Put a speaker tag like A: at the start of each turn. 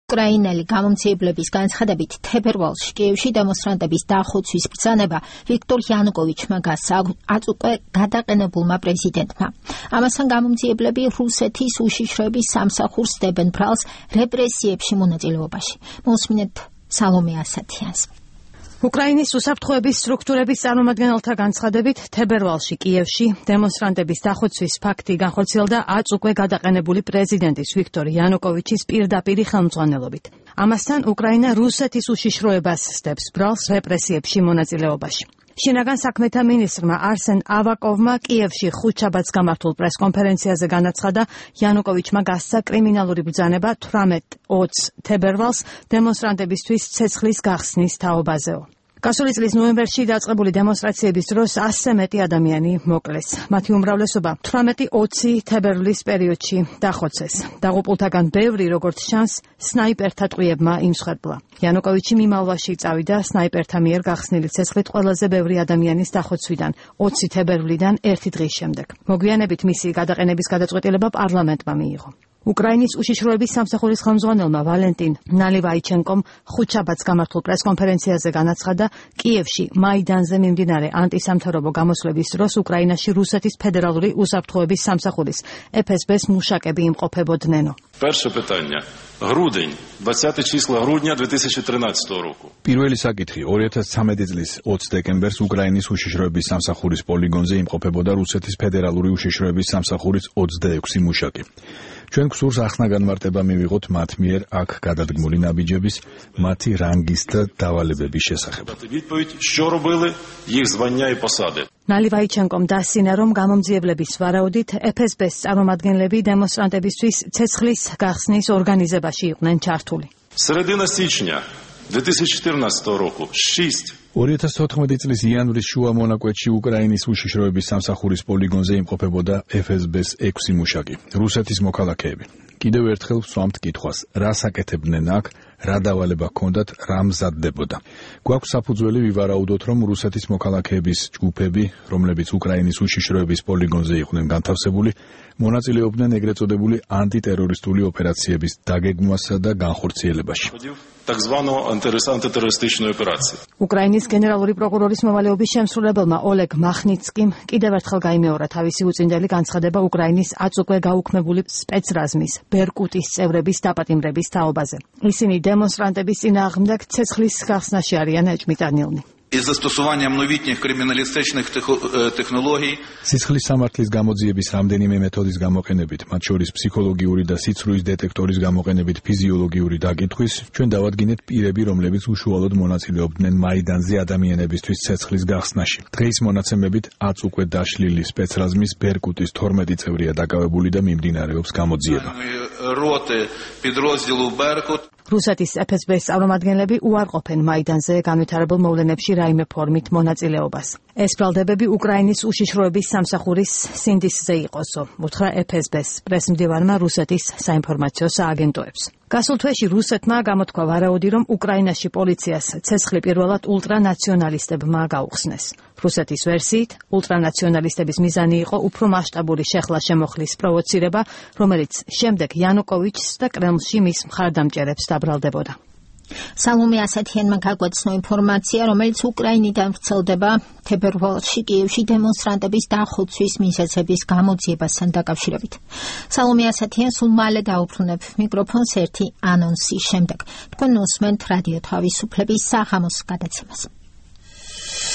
A: უკრაინელი გამომცემლების განცხადებით, თებერვალში კიევში დემონსტრანტების დახოცვის ბრძანება ვიქტორ იანუკოვიჩმა გასცა აწ უკვე გადაყენებულმა პრეზიდენტმა. ამასთან გამომცემლები რუსეთის უშიშროების სამსახურს დებენ ბრალს რეპრესიებში მონაწილეობაში. მოსმინეთ სალომე ასათიანს.
B: უკრაინის უსაფრთხოების სტრუქტურების წარმომადგენელთა განცხადებით, თებერვალში კიევში დემონსტრანტების დახოცვის ფაქტი განხორციელდა აწ უკვე გადაყენებული პრეზიდენტის ვიქტორ იანუკოვიჩის პირდაპირი ხელმძღვანელობით. ამასთან უკრაინა რუსეთის უშიშროებას სდებს ბრალს რეპრესიებში მონაწილეობაში. შინაგან საქმეთა მინისტრმა არსენ ავაკოვმა კიევში ხუთშაბათს გამართულ პრესკონფერენციაზე განაცხადა, იანუკოვიჩმა გასცა კრიმინალური ბრძანება 18-20 თებერვალს დემონსტრანტებისთვის ცეცხლის გახსნის თაობაზეო. გასული წლის ნოემბერში დაწყებული დემონსტრაციების დროს 100-ზე მეტი ადამიანი მოკლეს. მათი უმრავლესობა 18-20 თებერვლის პერიოდში დახოცეს. დაღუპულთაგან ბევრი, როგორც ჩანს, სნაიპერთა ტყვიებმა იმსხვერპლა. იანუკოვიჩი მიმალვაში წავიდა სნაიპერთა მიერ გახსნილი ცეცხლით ყველაზე ბევრი ადამიანის დახოცვიდან 20 თებერვლიდან 1 დღის შემდეგ. მოგვიანებით მისი გადაყენების გადაწყვეტილება პარლამენტმა მიიღო. უკრაინის უშიშროების სამსახურის ხელმძღვანელმა ვალენტინ ნალივაიჩენკომ ხუთშაბათს გამართულ პრესკონფერენციაზე განაცხადა, კიევში მაიდანზე მიმდინარე ანტისამთავრობო გამოსვლების დროს უკრაინაში რუსეთის ფედერალური უსაფრთხოების სამსახურის FSB-ს მუშაკები იმყოფებოდნენო.
C: Перше питання. Грудень, 20 числа грудня 2013 року.
D: პირველი საკითხი 2013 წლის 20 დეკემბერს უკრაინის უშიშროების სამსახურის პოლიგონზე იმყოფებოდა რუსეთის ფედერალური უშიშროების სამსახურის 26 მუშაკი. ჩვენ გსურს ახსნა განმარტება მივიღოთ მათ მიერ აქ გადადგმული ნაბიჯების, მათი რანგის და დავალებების შესახებ.
C: Відповідь, що робили, їх звання і посади.
B: ნალივაიჩენკომ დასცინა, რომ გამომძიებლების ვარაუდით FSB-ს წარმომადგენლები დემონსტრანტებისთვის ცეცხლის გახსნის ორგანიზებაში იყვნენ ჩართული.
C: Середина січня 2014 року 6
D: 2014 წლის იანვრის შუა მონაკვეთში უკრაინის უშიშროების სამსახურის პოლიგონზე იმყოფებოდა FSB-ს 6 მუშაკი, რუსეთის მოქალაქეები. კიდევ ერთხელ ვსვამთ კითხვას, რას აკეთებდნენ აქ, რა დავალება ჰქონდათ, რა მზადდებოდა. გვაქვს საფუძველი ვივარაუდოთ, რომ რუსეთის მოქალაქეების ჯგუფები, რომლებიც უკრაინის უშიშროების პოლიგონზე იყვნენ განთავსებული, მონაწილეობდნენ ეგრეთ წოდებული ანტიტერორისტული ოპერაციების დაგეგმვასა და განხორციელებაში.
C: Так званого антитерористичної операції.
B: უკრაინის გენერალური პროკურორის მოვალეობის შემსრულებელმა ოლეგ მახნიცკიმ კიდევ ერთხელ გაიმეორა თავისი უწინდელი განცხადება უკრაინის აწ უკვე გაუქმებული სპეცრაზმის ბერკუტის წევრების დაპატიმრების თაობაზე. ისინი დემონსტრანტების წინააღმდეგ ცეცხლის გახსნაში არიან ეჭმიტანილნი.
E: Із застосуванням новітніх криміналістичних технологій
D: სისხლის სამართლის გამოძიების რამდენიმე მეთოდის გამოყენებით, მათ შორის ფსიქოლოგიური და სიცრუის დეტექტორის გამოყენებით ფიზიოლოგიური დაკითხვის, ჩვენ დავადგინეთ პირები, რომლებიც უშუალოდ მონაწილეობდნენ მაიდანზე ადამიანებისთვის ცეცხლის გახსნაში. დღეის მონაცემებით აწ უკვე დაშლილი სპეცრაზმის ბერკუტის 12 წევრია დაკავებული და მიმდინარეობს გამოძიება.
E: роти підрозділу Беркут
B: რუსეთის FSB-ს წარმომადგენლები უარყოფენ მაიდანზე განვითარებულ მოვლენებში რაიმე ფორმით მონაწილეობას. ეს ბრალდებები უკრაინის უშიშროების სამსახურის სინდისზე იყოსო, უთხრა FSB-ს პრესმდივანმა რუსეთის საინფორმაციო სააგენტოებს. გასულ თვეში რუსეთმა გამოთქვა ვარაუდი, რომ უკრაინაში პოლიციას ცეცხლი პირველად ულტრანაციონალისტებმა გაუხსნეს. რუსეთის ვერსიით, ულტრანაციონალისტების მიზანი იყო უფრო მასშტაბური შეხლა-შემოხლის პროვოცირება, რომელიც შემდეგ იანუკოვიჩს და კრემლში მის მხარდამჭერებს დაბრალდებოდა.
A: სალომე ასათიანმა გაგვაცნო ინფორმაცია, რომელიც უკრაინიდან ვრცელდება თებერვალში კიევში დემონსტრანტების დახოცვის მიზეზების გამოძიებასთან დაკავშირებით. სალომე ასათიან სულ მალე დაუბრუნებ მიკროფონს ერთი ანონსის შემდეგ. თქვენ უსმენთ რადიო თავისუფლების საღამოს გადაცემას.